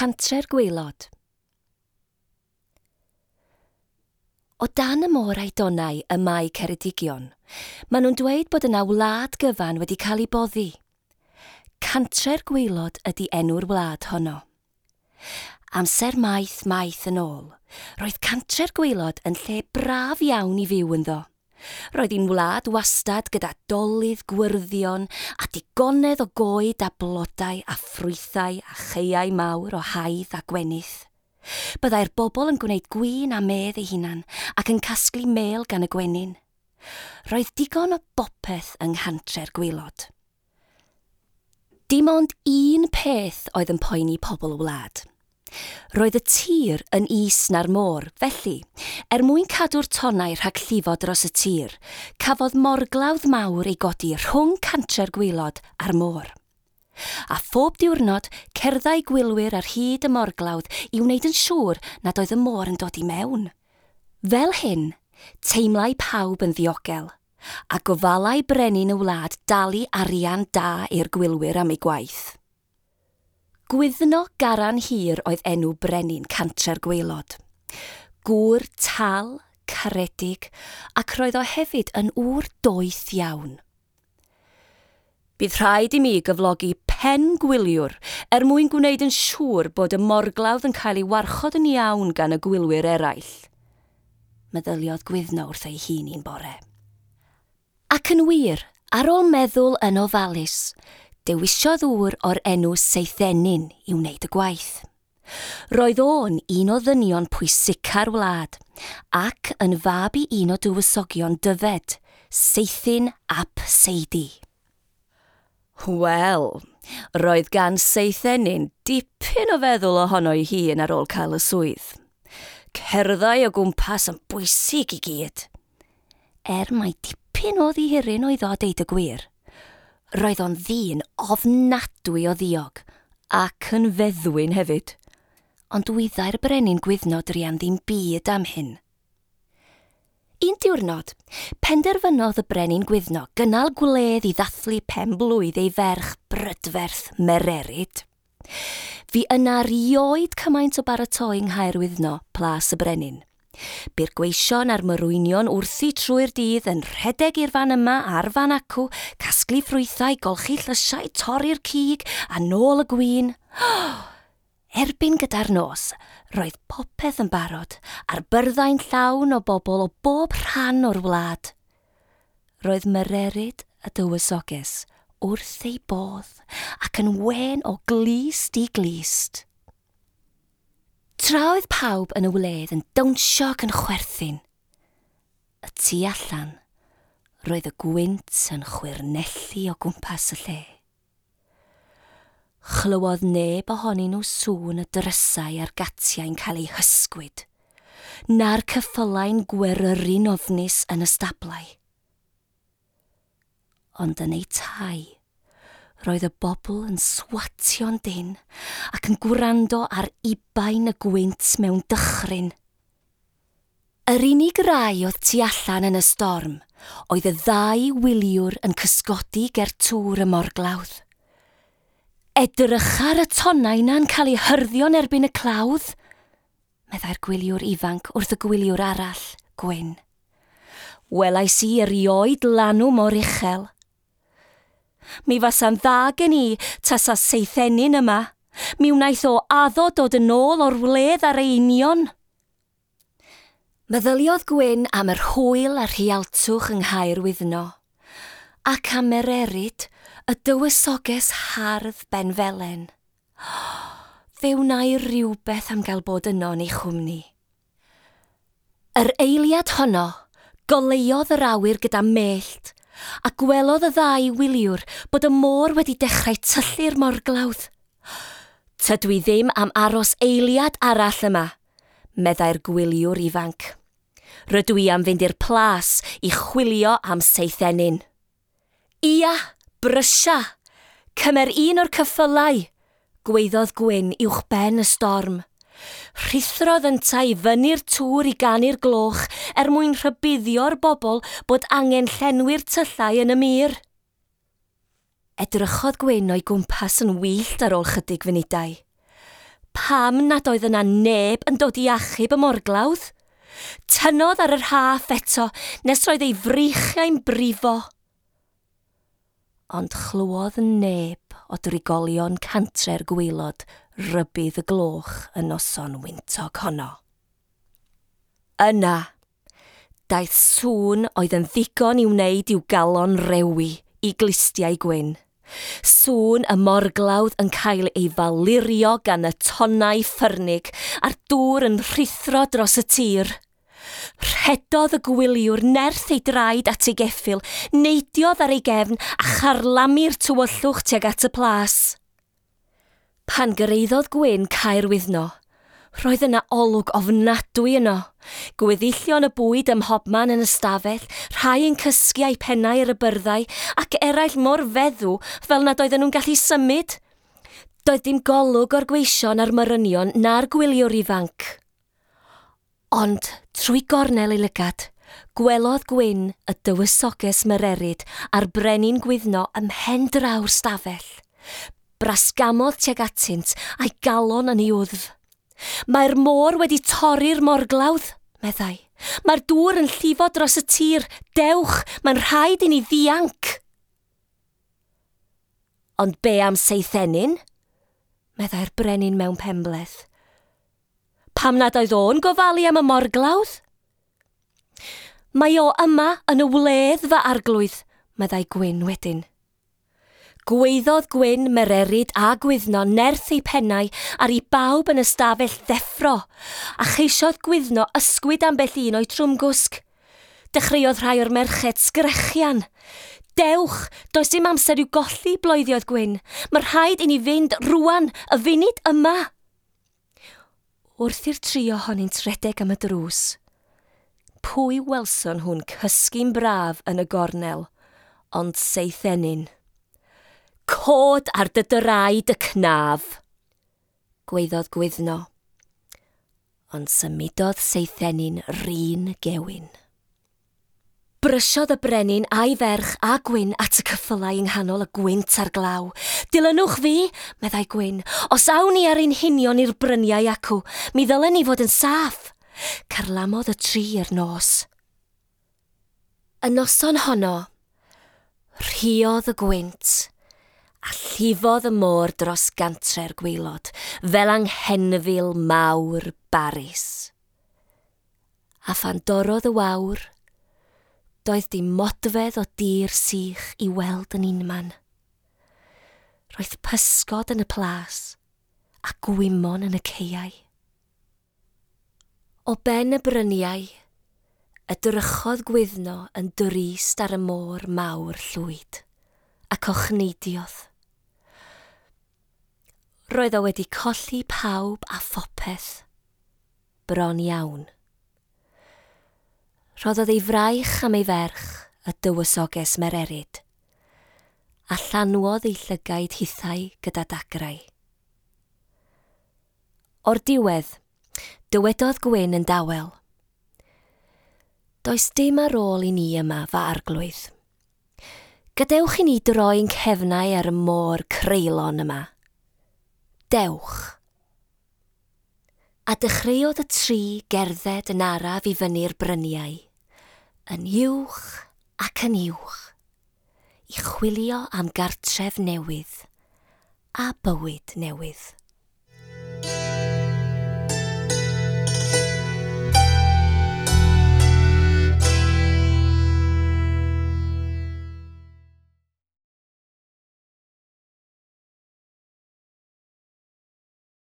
Cantre'r Gwaelod. O dan y môr a'i donnau y mae Ceredigion, maen nhw'n dweud bod yna wlad gyfan wedi cael ei boddi. Cantre'r Gwaelod ydy enw'r wlad honno. Amser maith maith yn ôl, roedd Cantre'r Gwaelod yn lle braf iawn i fyw ynddo. Roedd hi'n wlad wastad gyda dolydd gwyrddion a digonedd o goed a blodau a ffrwythau a chaeau mawr o haidd a gwenith. Byddai'r bobl yn gwneud gwin a medd eu hunan ac yn casglu mêl gan y gwenyn. Roedd digon o bopeth yng Nghantre'r Gwaelod. Dim ond un peth oedd yn poeni pobl y wlad. Roedd y tir yn is na'r môr, felly, er mwyn cadw'r tonnau rhag llifo dros y tir, cafodd morglawdd mawr ei godi rhwng Cantre'r Gwaelod a'r môr. A phob diwrnod, cerddai gwylwyr ar hyd y morglawdd i wneud yn siŵr nad oedd y môr yn dod i mewn. Fel hyn, teimlai pawb yn ddiogel, a gofalai brenin y wlad dalu arian da i'r gwylwyr am eu gwaith. Gwyddno Garan Hir oedd enw brenin Cantre'r Gwaelod. Gŵr tal, caredig, ac roedd o hefyd yn ŵr doeth iawn. Bydd rhaid i mi gyflogi pen gwyliwr er mwyn gwneud yn siŵr bod y morglawdd yn cael ei warchod yn iawn gan y gwylwyr eraill, meddyliodd Gwyddno wrth ei hun un bore. Ac yn wir, ar ôl meddwl yn ofalus, dewisiodd ŵr o'r enw Seithenyn i wneud y gwaith. Roedd o'n un o ddynion pwysica'r wlad, ac yn fab i un o dywysogion Dyfed, Seithyn ap Seidi. Wel, roedd gan Seithenyn dipyn o feddwl ohono'i hun ar ôl cael y swydd. Cerddai o gwmpas yn bwysig i gyd. Er mai dipyn o ddihiryn oedd o a deud y gwir, roedd o'n ddyn ofnadwy o ddiog, ac yn feddwyn hefyd. Ond wyddai'r brenin Gwyddno druan ddim byd am hyn. Un diwrnod, penderfynodd y brenin Gwyddno gynnal gwledd i ddathlu pen-blwydd ei ferch brydferth Mererid. Fu yna rioed cymaint o baratoi yng Nghaerwyddno, Plas y Brenin. Bu'r gweision a'r morwynion wrthi trwy'r dydd yn rhedeg i'r fan yma a'r fan acw, casglu ffrwythau, golchi llysiau, torri'r cig, a nôl y gwin. Erbyn gyda'r nos, roedd popeth yn barod, a'r byrddau'n llawn o bobl o bob rhan o'r wlad. Roedd Mererid y dywysoges wrth ei bodd ac yn wên o glust i glust. Tra oedd pawb yn y wledd yn dawnsio ac yn chwerthin, y tu allan, roedd y gwynt yn chwyrnellu o gwmpas y lle. Chlywodd neb ohonyn nhw sŵn y drysau a'r gatiau'n cael eu hysgwyd, na'r ceffylau'n gweryru'n ofnus yn y stablau. Ond yn eu tai, roedd y bobl yn swatio'n dynn ac yn gwrando ar ubain y gwynt mewn dychryn. Yr unig rai oedd tu allan yn y storm oedd y ddau wyliwr yn cysgodi ger tŵr y morglawdd. Edrycha ar y tonnau 'na'n cael eu hyrddio'n erbyn y clawdd, meddai'r gwyliwr ifanc wrth y gwyliwr arall, Gwyn. Welais i erioed lanw mor uchel. Mi fasa'n dda gen i tasa Seithenyn yma. Mi wnaeth o addo dod yn ôl o'r wledd ar ei union. Meddyliodd Gwyn am yr hwyl a'r rhialtwch yng Nghaerwyddno, ac am Mererid, y dywysoges hardd benfelen. Fe wnâi rywbeth am gael bod yno yn ei chwmni. Yr eiliad honno, goleuodd yr awyr gyda mellt, a gwelodd y ddau wyliwr bod y môr wedi dechrau tyllu'r morglawdd. Tydw i ddim am aros eiliad arall yma, meddai'r gwyliwr ifanc. Rydw i am fynd i'r plas i chwilio am Seithenyn. Ia, brysia! Cymer un o'r ceffylau! gwaeddodd Gwyn uwchben y storm. Rhuthrodd yntau i fyny'r tŵr i ganu'r gloch er mwyn rhybuddio'r bobl bod angen llenwi'r tyllau yn y mur. Edrychodd Gwyn o'i gwmpas yn wyllt ar ôl chydig funudau. Pam nad oedd yna neb yn dod i achub y morglawdd? Tynnodd ar y rhaff eto nes roedd ei freichiau'n brifo. Ond chlywodd neb o drigolion cantre'r gwaelod rybudd y gloch y noson wyntog honno. Yna, daeth sŵn oedd yn ddigon i wneud i'w galon rewi i glustiau Gwyn. Sŵn y morglawdd yn cael ei falurio gan y tonnau ffyrnig a'r dŵr yn rhuthro dros y tir. Rhedodd y gwyliwr nerth ei draed at ei geffyl, neidiodd ar ei gefn a charlamu'r tywyllwch tuag at y plas. Pan gyrhaeddodd Gwyn Caer Wyddno, roedd yna olwg ofnadwy yno. Gweddillion y bwyd ym mhobman yn y stafell, rhai yn cysgu a'u pennau ar y byrddau, ac eraill mor feddw fel nad oedden nhw'n gallu symud. Doedd dim golwg o'r gweision a'r morynion na'r gwyliwr ifanc. Ond, trwy gornel ei lygad, gwelodd Gwyn y dywysoges Mererid a'r brenin Gwyddno ym mhen draw'r stafell. Brasgamodd tuag atynt a'i galon yn ei wddf. Mae'r môr wedi torri'r morglawdd, meddai. Mae'r dŵr yn llifo dros y tir. Dewch, mae'n rhaid i ni ddianc. Ond be am Seithenyn? meddai'r brenin mewn penbleth. Pam nad oedd o'n gofalu am y morglawdd? Mae o yma yn y wledd, fy arglwydd, meddai Gwyn wedyn. Gwaeddodd Gwyn, Mererid a Gwyddno nerth eu pennau ar i bawb yn y stafell ddeffro, a cheisiodd Gwyddno ysgwyd ambell un o'u trwmgwsg. Dechreuodd rhai o'r merched sgrechian. Dewch, does dim amser i'w golli, bloeddiodd Gwyn. Mae rhaid i ni fynd rwan, y funud yma. Wrth i'r tri ohonynt redeg am y drws, pwy welson nhw'n cysgu'n braf yn y gornel, ond Seithenyn. Cod ar dy draed y cnaf, gwaeddodd Gwyddno. Ond symudodd Seithenyn 'run gewyn. Brysiodd y brenin a'i ferch a Gwyn at y ceffylau yng nghanol y gwynt a'r glaw. Dilynwch fi, meddai Gwyn. Os awn ni ar ein hunion i'r bryniau acw, mi ddylen ni fod yn saff. Carlamodd y tri i'r nos. Y noson honno, rhuodd y gwynt a llifodd y môr dros gantre'r gwaelod fel anghenfil mawr barus. A phan dorrodd y wawr, doedd dim modfedd o dir sych i weld yn unman. Roedd pysgod yn y plas a gwymon yn y caeau. O ben y bryniau, edrychodd Gwyddno yn drist ar y môr mawr llwyd, ac ochneidiodd. Roedd o wedi colli pawb a phopeth, bron iawn. Rhoddodd ei fraich am ei ferch, y dywysoges Mererid, a llanwodd ei llygaid hithau gyda dagrau. O'r diwedd, dywedodd Gwyn yn dawel. Does dim ar ôl i ni yma, fy arglwydd. Gadewch i ni droi'n cefnau ar y môr creulon yma. Dewch. A dechreuodd y tri gerdded yn araf i fyny'r bryniau, yn uwch ac yn uwch, i chwilio am gartref newydd a bywyd newydd.